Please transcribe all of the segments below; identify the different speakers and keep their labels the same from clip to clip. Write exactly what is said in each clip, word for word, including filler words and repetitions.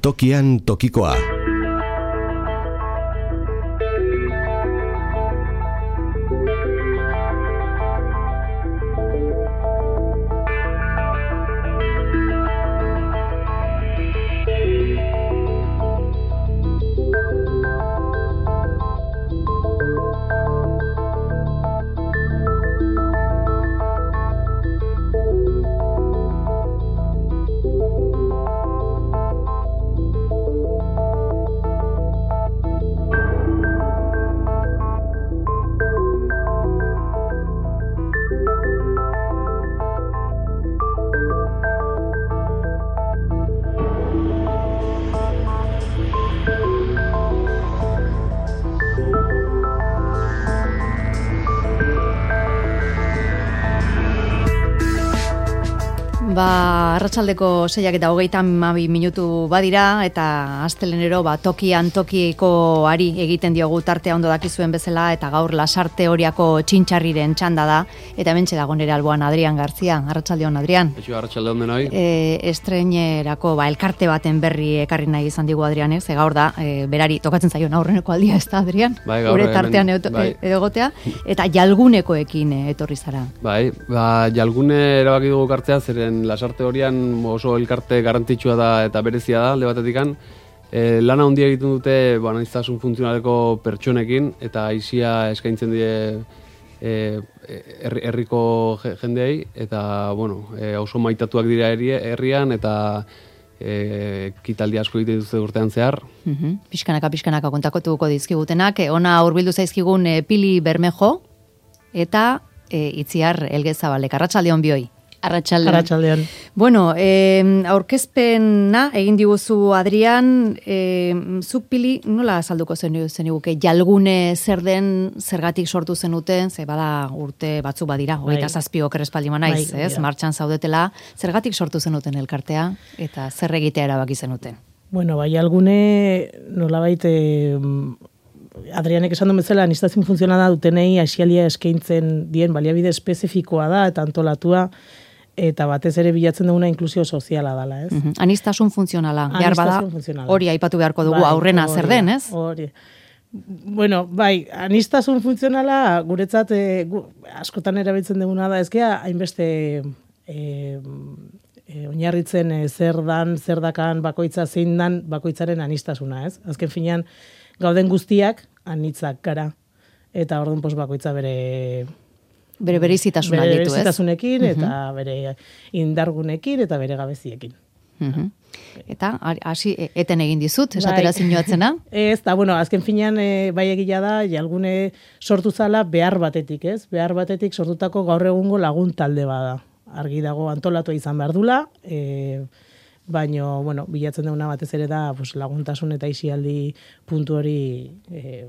Speaker 1: Tokian tokikoa.
Speaker 2: Ba, arratsaldeko seiak eta hogeita hamabi minutu badira, eta astelehenero ba, tokian tokiko ari egiten diogu tartea ondo dakizuen bezala, eta gaur Lasarte Oriako txintxarriren txanda da, eta hementxe dago nere alboan Adrian Garzia. Arratsaldeon, Adrian.
Speaker 3: Eixo, arratsaldeon denoi.
Speaker 2: E, estreinerako ba, elkarte baten berri ekarri nahi izan digu Adrianek, ze gaur da, e, berari tokatzen zaion aurreneko aldia ez da, Adrian?
Speaker 3: Bai, gaur
Speaker 2: Gure tartean
Speaker 3: hemen,
Speaker 2: edo,
Speaker 3: bai.
Speaker 2: egotea, eta jalgunekoekin e, etorri zara.
Speaker 3: Bai, ba, jalgune erabaki dugu kartzea, zeren Lasarte Orian oso elkarte garrantzitsua da eta berezia da, alde batetikan. E, lana handia egiten dute ba, aniztasun funtzionaleko pertsonekin, eta aisia eskaintzen die e, herri, herriko jendeei, eta bueno, e, oso maitatuak dira herri, herrian, eta e, kitaldi asko egiten dituzte urtean zehar.
Speaker 2: Uh-huh. Pixkanaka, pixkanaka kontakotuko dizkigutenak, e, ona hurbildu zaizkigun e, Pili Bermejo, eta e, Itziar Elgezabalek. Arratsaldeon bioi.
Speaker 4: Arratsaldeon.
Speaker 2: Arratsaldeon. Bueno, eh, aurkezpena egin diguzu Adrian, eh, zuk Pili nola azalduko zeniguke jalgune zer den, zergatik sortu zenuten, ze bada urte batzuk badira, hogeita zazpi oker espaldima naiz,
Speaker 4: Bai,
Speaker 2: ez?
Speaker 4: ja.
Speaker 2: Martxan zaudetela, zergatik sortu zenuten elkartea eta zer egitea erabaki zenuten?
Speaker 4: Bueno, bai, jalgune nolabait eh, Adrianek esan duen bezala, aniztasun funtzionala dutenei asialia eskaintzen dien baliabide espezifikoa da eta antolatua, eta batez ere bilatzen duguna inklusio soziala dela, ez?
Speaker 2: Uh-huh. Anistasun funtzionala, behar bada, hori aipatu beharko dugu,
Speaker 4: bai,
Speaker 2: aurrena
Speaker 4: hori,
Speaker 2: zer den, ez?
Speaker 4: Hori. Bueno, bai, anistasun funtzionala guretzat e, gu, askotan erabiltzen duguna da, ezkea hainbeste e, e, oinarritzen e, zer dan, zer dakan bakoitza zein dan bakoitzaren anistasuna, ez? Azken finean, gauden guztiak anitzak gara, eta orduan pos bakoitza bere
Speaker 2: bere berezitasuna
Speaker 4: bere
Speaker 2: ditu, ez?
Speaker 4: bereizitasunekin, eta
Speaker 2: Uh-huh.
Speaker 4: bere indargunekin, eta bere gabeziekin.
Speaker 2: Uh-huh. Eta hasi eten egin dizut, esatera
Speaker 4: Bai.
Speaker 2: zinuatzena?
Speaker 4: Ez, da, bueno, azken finean e, bai egila da, jalgune sortu zala behar batetik, ez? Behar batetik sortutako gaur egungo lagun talde bada. Argi dago antolatua izan behar dula, e, baino, bueno, bilatzen duguna batez ere da pues, laguntasun eta isialdi puntu hori e,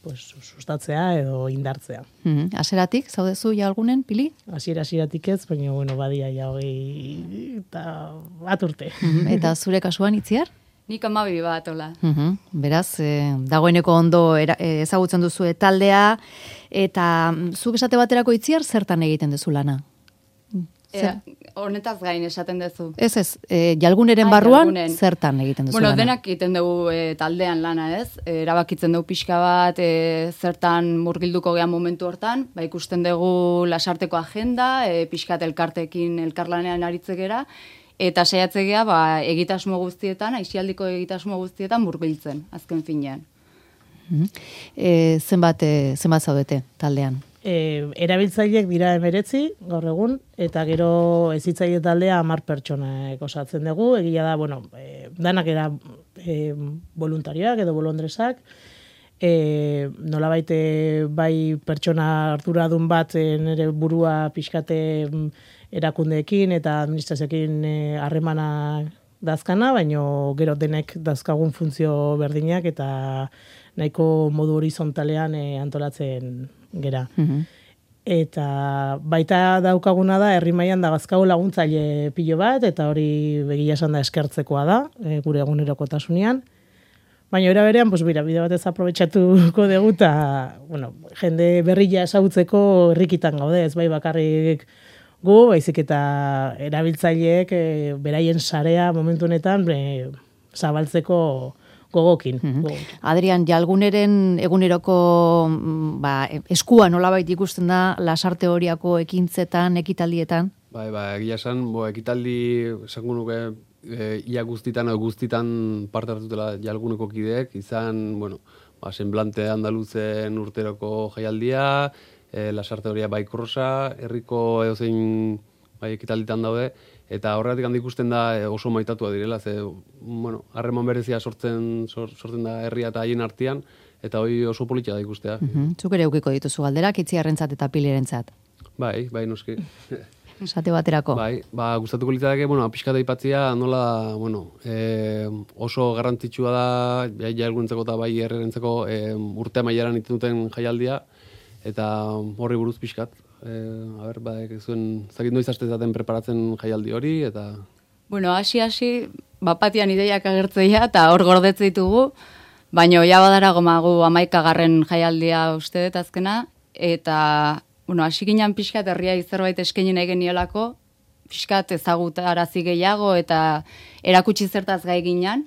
Speaker 4: pues, sustatzea edo indartzea.
Speaker 2: Mm-hmm. Aseratik, zaudezu jalgunen, Pili?
Speaker 4: Hasiera hasieratik ez, baina, bueno, badia ja hogei eta bat urte.
Speaker 2: Mm-hmm. Eta zure kasuan, Itziar?
Speaker 5: Nik amabi bat, hola.
Speaker 2: Mm-hmm. Beraz, eh, dagoeneko ondo era, eh, ezagutzen duzu taldea, eta zuk esate baterako Itziar, zertan egiten duzu lana?
Speaker 5: Zer? Honetaz gain esaten duzu.
Speaker 2: Ez ez, e, jalguneren
Speaker 5: Ai,
Speaker 2: barruan
Speaker 5: jalgunen.
Speaker 2: zertan egiten duzu
Speaker 5: Bueno,
Speaker 2: lana?
Speaker 5: denak egiten dugu e, taldean lana, ez? E, erabakitzen dugu pixka bat, e, zertan murgilduko gehan momentu hortan, ba, ikusten dugu lasarteko agenda, e, pixkat elkartekin elkarlanean aritzegera, eta saiatzegea ba, egitasmo guztietan, aisialdiko egitasmo guztietan murgiltzen, azken finean.
Speaker 2: Mm-hmm. E, zenbat, e, zenbat zaudete taldean?
Speaker 4: E, erabiltzaileek dira emeretzi, gaur egun, eta gero hezitzaile taldea hamar pertsonak osatzen dugu, egia da, bueno, e, danak era e, voluntarioak edo bolondresak, e, nolabait e, bai pertsona arduradun bat e, nire burua pixkate erakundeekin eta administrazioekin harremana dazkana, baino gero denek dazkagun funtzio berdinak eta nahiko modu horizontalean e, antolatzen gera.
Speaker 2: Mm-hmm.
Speaker 4: Eta baita daukaguna da, herri mailan da gazkago laguntzaile pilo bat, eta hori begia esan da eskertzekoa da, e, gure egunerokotasunean. Baina era berean, pues mira, bide batez aprobetxatuko dugu, eta bueno, jende berria esagutzeko herrikitan gaude, ez bai bakarrik gu, baizik eta erabiltzaileek e, beraien sarea momentu honetan, e, zabaltzeko gogokin.
Speaker 2: Mhm.
Speaker 4: gogokin.
Speaker 2: Adrian, jalguneren eguneroko mm, ba, eskua nolabait ikusten da lasarte horiako ekintzetan, ekitaldietan?
Speaker 3: Bai, ba, egia esan, bo, ekitaldi, esango nuke, e, ia guztitan, edo guztitan parte hartutela jalguneko kideek, izan, bueno, ba, semblante andaluzen urteroko jaialdia, e, lasarte horia bai krosa, herriko edozein bai ekitalditan daude, eta horregatik handi ikusten da e, oso maitatua direla, ze, bueno, harreman berezia sortzen, sor, sortzen da herria eta haien artean, eta hori oso politia da ikustea.
Speaker 2: Mhm. Zuk ere eukiko dituzu galderak, itziarrentzat eta pilirentzat.
Speaker 3: Bai, bai, noski.
Speaker 2: Esate baterako.
Speaker 3: Bai, ba, gustatuko litzateke, bueno, pixkata aipatzea nola, bueno, e, oso garrantzitsua da, bai, jalgunentzako eta bai herrirentzako e, urte amaieran itututen jaialdia, eta horri buruz pixkat. E, a ber, ba, zuen, zakit noiz aste zaten preparatzen jaialdi hori, eta...
Speaker 5: Bueno, hasi-hasi, bapatian ideiak agertzeia, eta hor gordetze ditugu, baina ja badara gomagu amaikagarren jaialdia uste dut azkena, eta... Bueno, hasi ginen pixkat herria zerbait eskaini nahi geniolako, pixkat ezagutarazi gehiago eta erakutsi zertaz gai ginen.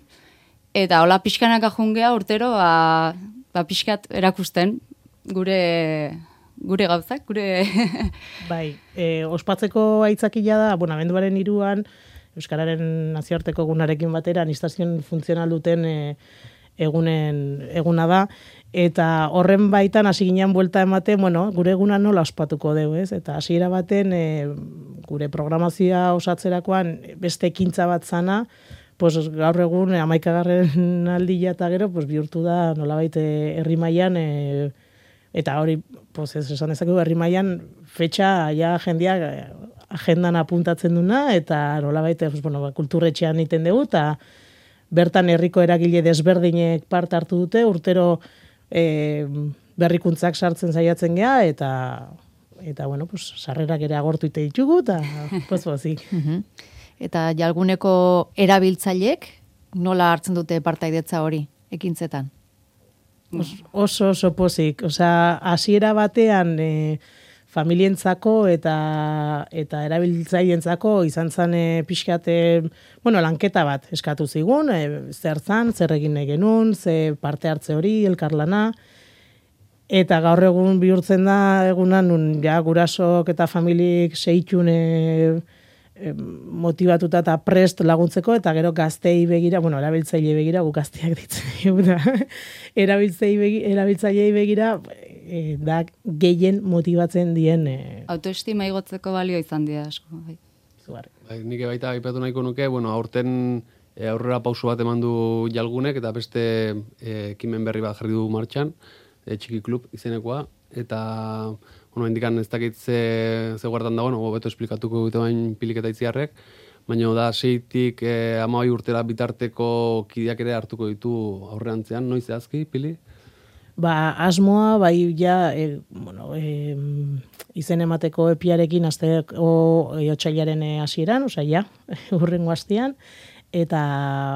Speaker 5: Eta hola pixkanaka jungea urtero, ba, ba pixkat erakusten gure gure gauzak, gure...
Speaker 4: Bai, e, ospatzeko aitzakila da, bueno, abenduaren hiruan Euskararen nazioarteko egunarekin batera, aniztazioen funtzional duten e, egunen eguna da, eta horren baitan hasi ginean buelta ematen, bueno, gure eguna nola ospatuko dugu, ez? Eta hasiera baten e, gure programazioa osatzerakoan beste ekintza bat zana, pues gaur egun hamaikagarren aldia eta gero pues bihurtu da nolabait herri mailan e, eta hori pues ez esan dezakegu herri mailan fetxa ja jendeak agendan apuntatzen duna eta nolabait pues bueno, kulturretxean egiten dugu eta bertan herriko eragile desberdinek parte hartu dute, urtero e, berrikuntzak sartzen saiatzen gea eta eta bueno, pues sarrerak ere agortu ite ditugu eta pues pozik.
Speaker 2: Eta jalguneko erabiltzaileek nola hartzen dute partaidetza hori ekintzetan?
Speaker 4: Os, oso oso pozik, osea, hasiera batean e, familientzako eta eta erabiltzaileentzako izan zen e, pixkat e, bueno, lanketa bat eskatu zigun, e, zer zan, zer egin nahi genuen, ze parte hartze hori, elkarlana, eta gaur egun bihurtzen da egunan nun ja gurasok eta familik seitun e, e, motivatuta eta prest laguntzeko eta gero gaztei begira, bueno, erabiltzaile begira, gu gazteak ditzen da, erabiltzailei begira e, da gehien motibatzen dien e,
Speaker 5: autoestima igotzeko balio izan dira asko. Bai.
Speaker 4: Zugarri.
Speaker 3: Bai, nik baita aipatu nahiko nuke, bueno, aurten e, aurrera pauso bat eman du jalgunek eta beste e, ekimen berri bat jarri du martxan, e, txiki klub izenekoa, eta bueno, indikan ez dakit ze, ze guardan dagoen, no, beto esplikatuko dute bain pilik eta itziarrek, baina da seitik e, amabai urtera bitarteko kideak ere hartuko ditu aurreantzean, noiz zehazki, pili?
Speaker 4: Ba, asmoa, bai, ja, e, bueno, e, izen emateko epiarekin azteko e, otsailaren hasieran, osea, ja, urrengo astean, eta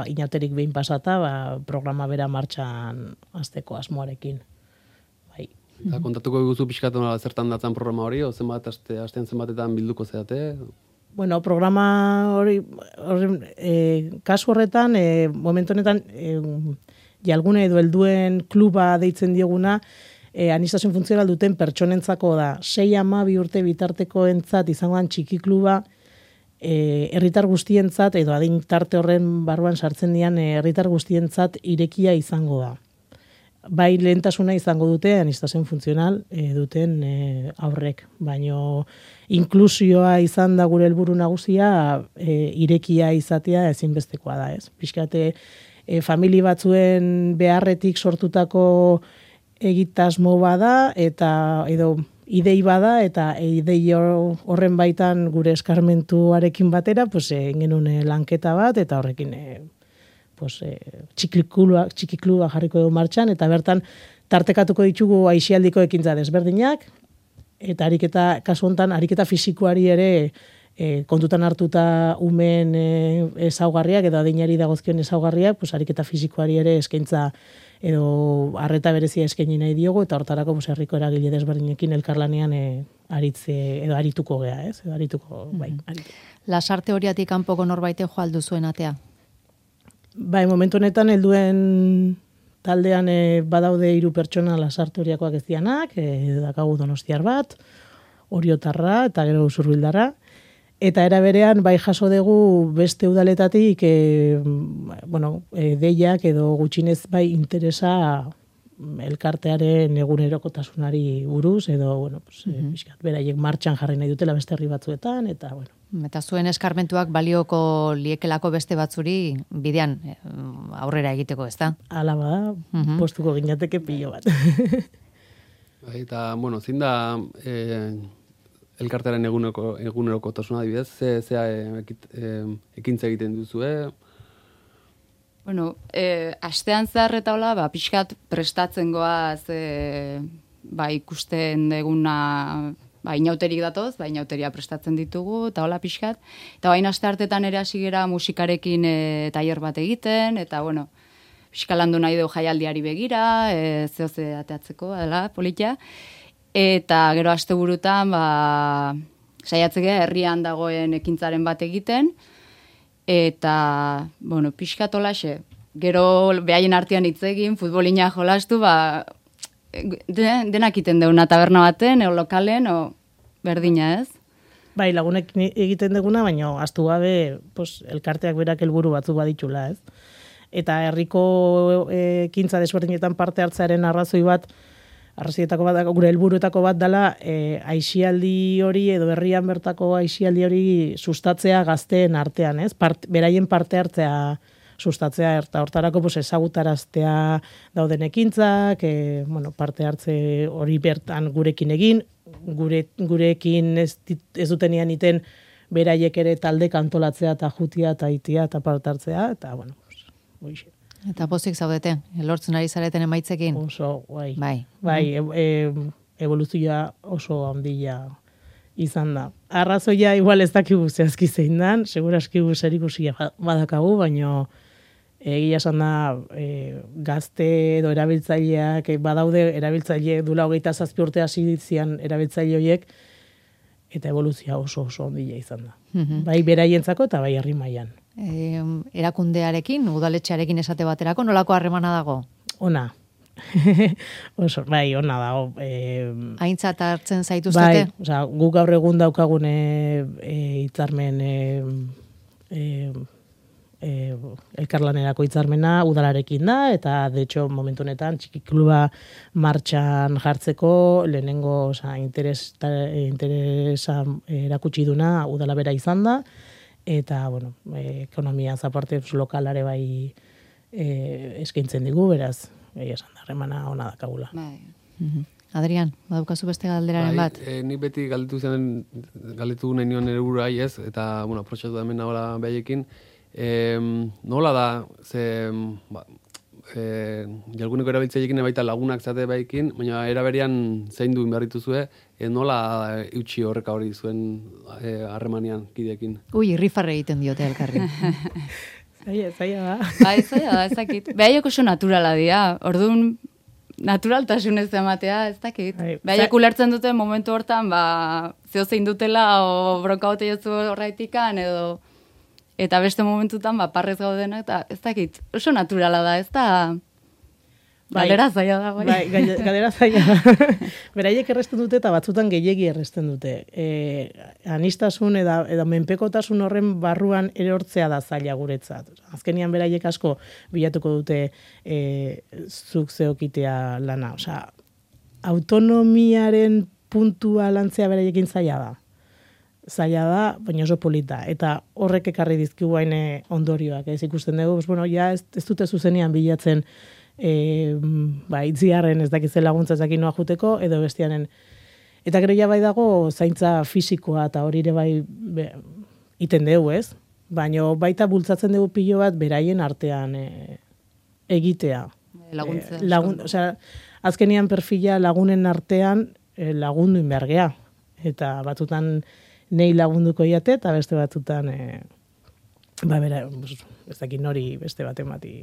Speaker 4: inauterik behin pasata, ba, programa bera martxan azteko asmoarekin. Bai.
Speaker 3: Eta kontatuko eguzu pixkatu nola zertan datzan programa hori, o zenbat aste, astean zenbatetan bilduko zeate?
Speaker 4: Bueno, programa hori, hori e, kasu horretan, e, momentu honetan, e, jalgune edo helduen kluba deitzen dioguna, e, aniztazioen funtzional duten pertsonentzako da. Sei hamabi urte bitarteko entzat izangoan txiki kluba, e, herritar guztientzat, edo adin tarte horren barruan sartzen dian herritar guztientzat irekia izango da. Bai lehentasuna izango dute aniztazioen funtzional e, duten e, aurrek, baino inklusioa izan da gure helburu nagusia e, irekia izatea ezinbestekoa da, ez? Pixkate e, famili batzuen beharretik sortutako egitasmo bada eta edo idei bada eta idei horren baitan gure eskarmentuarekin batera pues egin genuen lanketa bat eta horrekin e, pues e, txikiklua txikiklua jarriko dugu martxan eta bertan tartekatuko ditugu aisialdiko ekintza desberdinak eta ariketa kasu hontan ariketa fisikoari ere e, kontutan hartuta umen e, ezaugarriak edo adinari dagozkion ezaugarriak, pues ariketa fisikoari ere eskaintza edo arreta berezia eskaini nahi diogu eta hortarako pues herriko eragile desberdinekin elkarlanean e, aritze edo arituko gea, ez? Edo arituko, bai, aritu.
Speaker 2: Lasarte horiatik kanpoko norbaite jo aldu zuen atea.
Speaker 4: Bai, momentu honetan helduen taldean e, badaude hiru pertsona Lasarte horiakoak ez dianak, e, dakagu Donostiar bat, Oriotarra eta gero Usurbildarra. Eta era berean bai jaso dugu beste udaletatik e, bueno, e, deiak edo gutxinez bai interesa elkartearen egunerokotasunari buruz edo bueno, pues, mm-hmm. e, pixkat, beraiek martxan jarri nahi dutela beste herri batzuetan eta bueno.
Speaker 2: Eta zuen eskarmentuak balioko liekelako beste batzuri bidean aurrera egiteko, ez da?
Speaker 4: Hala bada, mm-hmm. postuko ginateke pilo bat.
Speaker 3: Eta, bueno, zin da eh, elkartearen eguneko, egunerokotasuna adibidez, ze, ze e, ekintza egiten duzue?
Speaker 5: Bueno, eh, astean zehar eta hola, ba, pixkat prestatzen goaz, eh, ba, ikusten deguna, ba, inauterik datoz, ba, inauteria prestatzen ditugu, eta hola pixkat. Eta baina aste hartetan ere hasi gera musikarekin e, tailer bat egiten, eta, bueno, pixkalandu nahi dugu jaialdiari begira, e, zehoze ateatzeko, dela, politia. Eta gero asteburutan, ba, saiatzeke herrian dagoen ekintzaren bat egiten, eta, bueno, pixkat holaxe, gero behaien artean hitz egin, futbolina jolastu, ba, denak iten deuna taberna baten, eo lokalen, o berdina ez?
Speaker 4: Bai, lagunek egiten deguna, baina astu gabe pues, elkarteak berak helburu batzu baditula, ez? Eta herriko ekintza desberdinetan parte hartzearen arrazoi bat, arrazoietako bat, gure helburuetako bat dela, e, aixialdi hori edo herrian bertako aixialdi hori sustatzea gazteen artean, ez? Part, beraien parte hartzea sustatzea, eta hortarako pues, ezagutaraztea dauden ekintzak, e, bueno, parte hartze hori bertan gurekin egin, gure, gurekin ez, ez dutenian iten beraiek ere talde kantolatzea eta jutia eta itia eta parte hartzea, eta bueno, pues, boixe.
Speaker 2: Eta pozik zaudete, lortzen ari zareten emaitzekin?
Speaker 4: Oso, bai.
Speaker 2: Bai,
Speaker 4: bai e, e, evoluzioa oso handia izan da. Arrazoia igual ez dakigu zehazki zein dan, seguraski zerikusia badakagu, baina egia esan da e, gazte edo erabiltzaileak e, badaude erabiltzaile dula hogeita zazpi urte hasi ditzian erabiltzaile horiek eta evoluzioa oso oso handia izan da. Mm-hmm. Bai beraientzako eta bai herri mailan.
Speaker 2: E, erakundearekin, udaletxearekin esate baterako, nolako harremana dago?
Speaker 4: Ona. Oso, bai, ona dago. E,
Speaker 2: Aintzat hartzen zaituztete?
Speaker 4: Bai, osea, guk gaur egun daukagune e, hitzarmen e, e, e, elkarlanerako hitzarmena udalarekin da, eta de hecho momentu honetan txiki kluba martxan jartzeko lehenengo osea, interes, interesa erakutsi duna udala bera izan da, eta, bueno, e, ekonomia zaparte lokalare bai e, eskaintzen digu, beraz, egia esan da, remana ona dakagula.
Speaker 5: Bai.
Speaker 2: Mm-hmm. Adrian, badaukazu beste galderaren
Speaker 3: bai,
Speaker 2: bat?
Speaker 3: E, nik beti galdetu zen, galdetu nahi nion ere buruai ez, eta, bueno, aprotxatu da hemen nagoela behaiekin, e, nola da, ze, ba, e, jalguneko erabiltzailekin baita lagunak zate baikin, baina eraberian zein duen behar dituzue, e, nola eutxi horreka hori zuen harremanean e, kideekin?
Speaker 2: Ui, irrifarre egiten diote elkarri.
Speaker 4: Zaila, zaila da.
Speaker 5: Bai, zaila da, ez dakit. Behaiek oso naturala dira, orduan naturaltasunez ematea, ez dakit. Bai, behaiek ulertzen dute momentu hortan, ba, zeo zein dutela, o bronka bote jotzu horraitikan, edo eta beste momentutan, ba, parrez gaudena, eta ez dakit, oso naturala da, ez da... Bai, galdera zaila da, bai.
Speaker 4: Bai, galdera zaila da. Beraiek erresten dute eta batzutan gehiegi erresten dute. E, anistasun eda, eda menpekotasun horren barruan erortzea da zaila guretzat. Azkenian beraiek asko bilatuko dute e, zuk zeokitea lana. Osea, autonomiaren puntua lantzea beraiekin zaila da. Zaila da, baina oso polita. Eta horrek ekarri dizkigu hain ondorioak. Ez ikusten dugu, pues, bueno, ja ez, ez dute zuzenean bilatzen E, ba, itziarren ez dakitzen laguntza ez dakin noa juteko, edo bestianen. Eta gero ja bai dago zaintza fisikoa eta hori ere bai be, iten dugu, ez? Baina baita bultzatzen dugu pilo bat beraien artean e, egitea.
Speaker 5: Laguntza.
Speaker 4: E, lagun, osea, azkenian perfila lagunen artean e, lagundu inbergea. Eta batutan nei lagunduko iate eta beste batutan e, ba, bera, ez dakin hori beste baten bati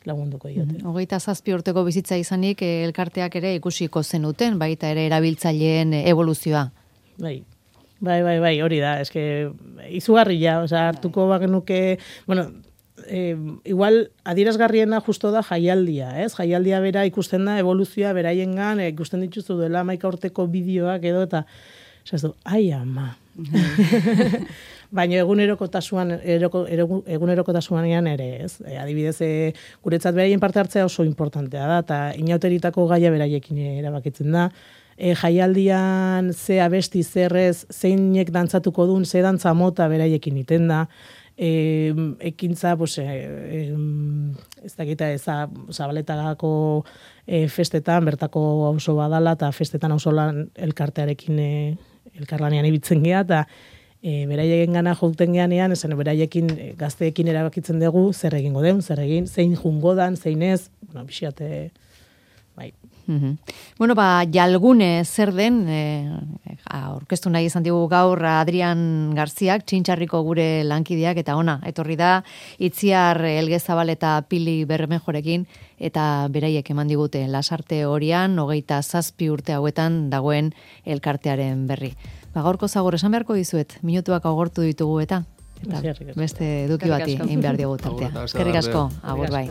Speaker 4: lagunduko diote.
Speaker 2: Hogeita zazpi urteko bizitza izanik elkarteak ere ikusiko zenuten, baita ere erabiltzaileen evoluzioa.
Speaker 4: Bai, bai, bai, bai hori da, eske izugarria, osea, hartuko bagenuke, bueno, e, igual adierazgarriena justo da jaialdia, ez? Jaialdia bera ikusten da evoluzioa beraiengan, e, ikusten dituzu dela hamaika urteko bideoak edo eta esazu, ai ama. Baina egunerokotasuan eroko, eroko, egunerokotasuanean ere, ez? E, adibidez, e, guretzat beraien parte hartzea oso importantea da, eta inauteritako gaia beraiekin erabakitzen da. E, jaialdian ze abesti zerrez, zeinek dantzatuko duen, ze dantza mota beraiekin iten da, e, ekintza, pues, e, e, ez dakita, eza, Zabaletagako e, festetan, bertako auzo badala, eta festetan auzolan elkartearekin e, elkarlanean ibitzen gea, eta e, beraien gana jouten geanean, esan beraiekin e, gazteekin erabakitzen dugu, zer egingo den, zer egin, zein jungo dan, zein ez, bueno, bixiate, bai.
Speaker 2: Mm-hmm. Bueno, ba, jalgune zer den, e, aurkeztu nahi izan digu gaur Adrian Garziak, Txintxarriko gure lankideak, eta ona, etorri da, Itziar Elgezabal eta Pili Bermejorekin, eta beraiek eman digute lasarte horian, hogeita zazpi urte hauetan dagoen elkartearen berri. Ba, gaurko zagur esan beharko dizuet, minutuak agortu ditugu eta, eta beste eduki bati egin behar diogu tartea. Eskerrik asko, agur bai.